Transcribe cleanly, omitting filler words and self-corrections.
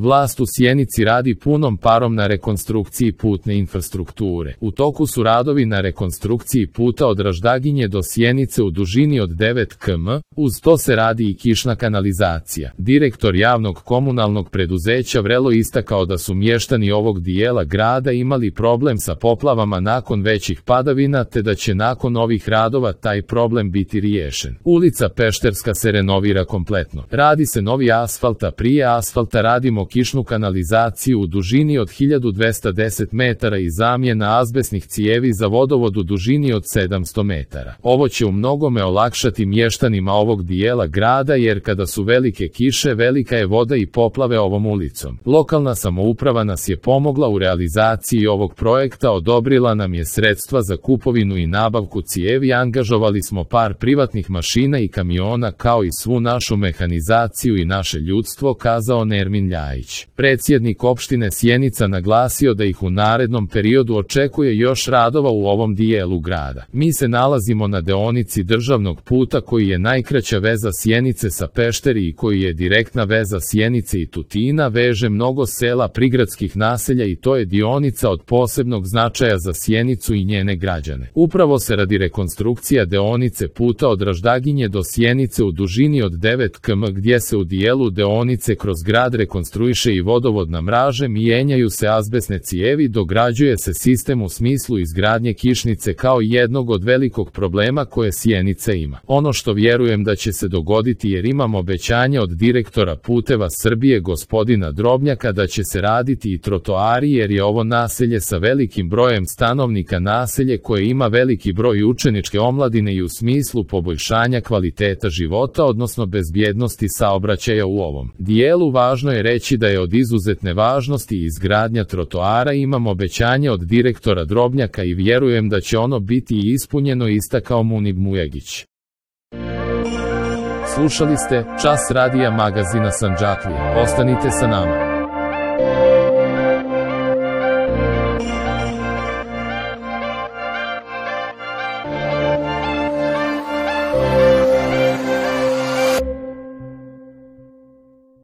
Vlast u Sjenici radi punom parom na rekonstrukciji putne infrastrukture. U toku su radovi na rekonstrukciji puta od Raždaginje do Sjenice u dužini od 9 km, uz to se radi i kišna kanalizacija. Direktor javnog komunalnog preduzeća Vrelo istakao da su mještani ovog dijela grada imali problem sa poplavama nakon većih padavina, te da će nakon ovih radova taj problem biti riješen. Ulica Pešterska se renovira kompletno. Radi se novi asfalt, a prije asfalta radimo kišnu kanalizaciju u dužini od 1210 metara i zamjena azbestnih cijevi za vodovod u dužini od 700 metara. Ovo će u mnogome olakšati mještanima ovog dijela grada, jer kada su velike kiše, velika je voda i poplave ovom ulicom. Lokalna samouprava nas je pomogla u realizaciji ovog projekta, odobrila nam je sredstva za kupovinu i nabavku cijevi, angažovali smo par privatnih mašina i kamiona kao i svu našu mehanizaciju i naše ljudstvo, kazao Nermin Ljajić. Predsjednik opštine Sjenica naglasio da ih u narednom periodu očekuje još radova u ovom dijelu grada. Mi se nalazimo na deonici državnog puta koji je najkraća veza Sjenice sa Pešteri i koji je direktna veza Sjenice i Tutina, veže mnogo sela, prigradskih naselja i to je dionica od posebnog značaja za Sjenicu i njene građane. Upravo se radi rekonstrukcija deonice puta od Raždaginje do Sjenice u dužini od 9 km, gdje se u dijelu deonice kroz grad rekonstruiše i vodovodna mreža, mijenjaju se azbestne cijevi, dograđuje se sistem u smislu izgradnje kišnice kao jednog od velikog problema koje Sjenica ima. Ono što vjerujem da će se dogoditi, jer imam obećanje od direktora Puteva Srbije gospodina Drobnjaka da će se raditi i trotoari, jer je ovo naselje sa velikim brojem stanovnika naselje koje ima veliki broj učeničke omladine i u smislu poboljšanja kvaliteta života, odnosno bezbjednosti saobraćaja u ovom dijelu. Važno je reći da je od izuzetne važnosti izgradnja trotoara. Imam obećanje od direktora Drobnjaka i vjerujem da će ono biti ispunjeno, istakao Munib Mujagić. Slušali ste Čas radija magazina Sandžaklija. Ostanite sa nama.